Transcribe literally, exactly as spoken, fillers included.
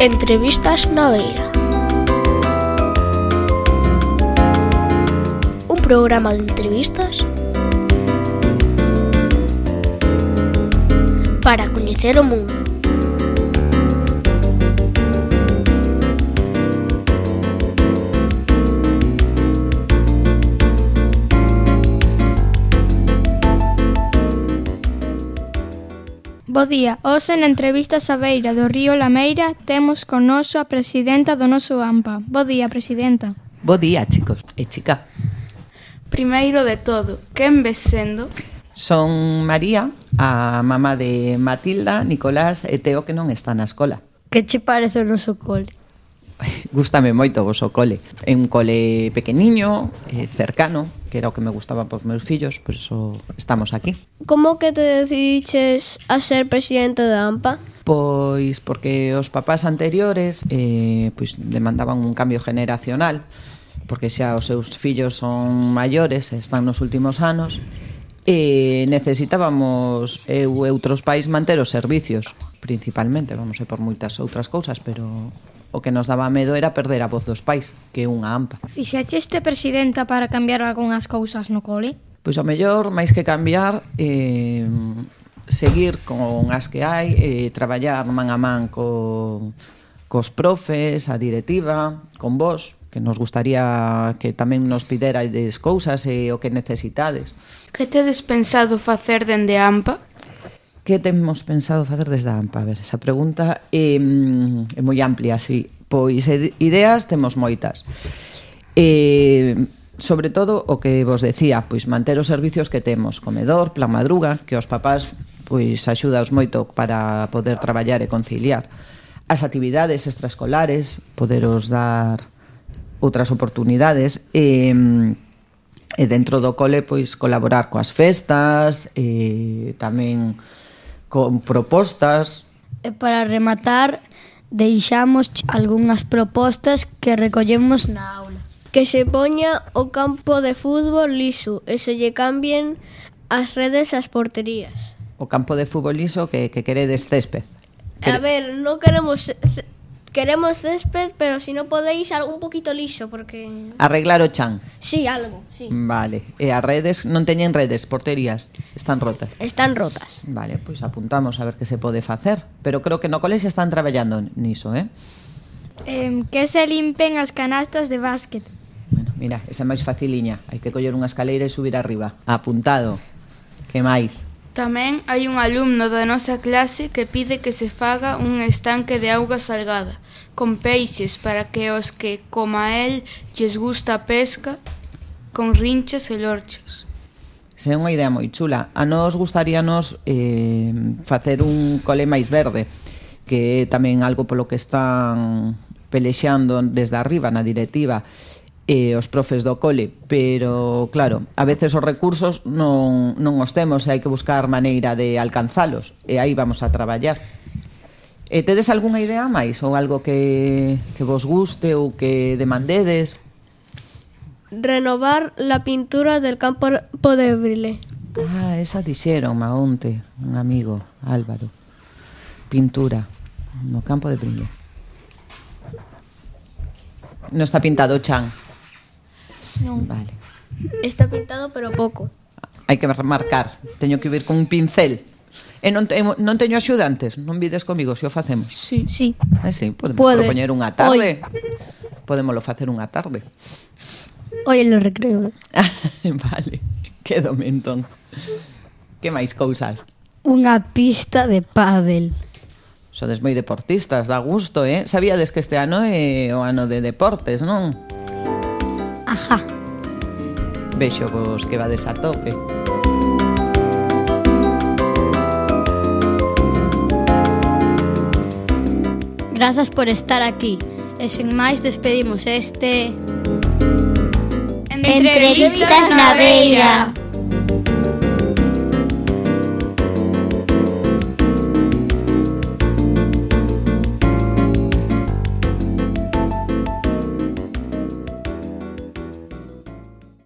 Entrevistas na Beira. Un programa de entrevistas para coñecer o mundo. Bo día, hoxe na entrevistas á beira do río Lameira temos con noso a presidenta do noso A M P A. Bo día, presidenta. Bo día, chicos e chica. Primeiro de todo, quen ves sendo? Son María, a mamá de Matilda, Nicolás e Teo que non está na escola. Que che parece o noso cole? Gústame moito o voso cole. É un cole pequeniño, eh, cercano, que era o que me gustaba pos meus fillos, por eso estamos aquí. Como que te decidiches a ser presidente da A M P A? Pois porque os papás anteriores eh, pois demandaban un cambio generacional, porque xa os seus fillos son maiores, están nos últimos anos, e necesitábamos eu e outros pais manter os servicios, principalmente, vamos a por moitas outras cousas, pero o que nos daba medo era perder a voz dos pais, que é unha A M P A. Fixecheste presidenta para cambiar algunhas cousas no cole? Pois ao mellor, máis que cambiar, eh, seguir con as que hai, eh, traballar man a man co, cos profes, a directiva, con vos, que nos gustaría que tamén nos piderades cousas e o que necesitades. Que tedes pensado facer dende a A M P A? Que temos pensado facer desde a A M P A? A ver, esa pregunta é, é moi amplia, sí. Pois ideas temos moitas. E, sobre todo, o que vos decía, pois manter os servicios que temos, comedor, plan madruga, que os papás pois axudaos moito para poder traballar e conciliar. As actividades extraescolares, poderos dar outras oportunidades e, e dentro do cole pois colaborar coas festas e tamén con propostas. E para rematar, deixamos algunhas propostas que recollemos na aula. Que se poña o campo de fútbol liso e se lle cambien as redes ás porterías. O campo de fútbol liso que, que queredes césped. A ver, non queremos queremos césped, pero si non podéis algo un poquito liso, porque... Arreglar o chan. Sí, algo, sí. Vale, e as redes non teñen redes, porterías, están rotas. Están rotas. Vale, pois apuntamos a ver que se pode facer, pero creo que no colexio están traballando niso, eh? eh que se limpen as canastas de básquet. Bueno, mira, esa é máis faciliña, hai que coller unha escaleira e subir arriba. Apuntado. Que máis? Tamén hai un alumno da nosa clase que pide que se faga un estanque de auga salgada, con peixes para que os que, como a él, lles gusta a pesca, con rinchas e lorchos. Se é unha idea moi chula. A nos gustaríanos eh, facer un cole máis verde, que é tamén algo polo que están pelexando desde arriba na directiva e os profes do cole, pero claro, a veces os recursos non, non os temos e hai que buscar maneira de alcanzalos e aí vamos a traballar. E tedes algunha idea máis ou algo que, que vos guste ou que demandedes? Renovar la pintura del campo de Brile. Ah, esa dixeron maonte un amigo, Álvaro. Pintura no campo de Brile. Non está pintado o chan. Non. Vale. Está pintado, pero pouco. Hai que marcar. Teño que vir con un pincel. E non, te, non teño axudantes. Non vides comigo se o facemos. Sí. Sí. Ah, sí, podemos Puede. propoñer unha tarde. Podémoslo facer unha tarde. Hoy en lo recreo. Vale. Quédome entón. Que máis cousas? Unha pista de pádel. Sodes moi deportistas, dá gusto, eh? Sabíades que este ano é o ano de deportes, non? Ajá. Vexo vos que vades a tope. Grazas por estar aquí. E sen máis despedimos este... Entrevistas na Beira.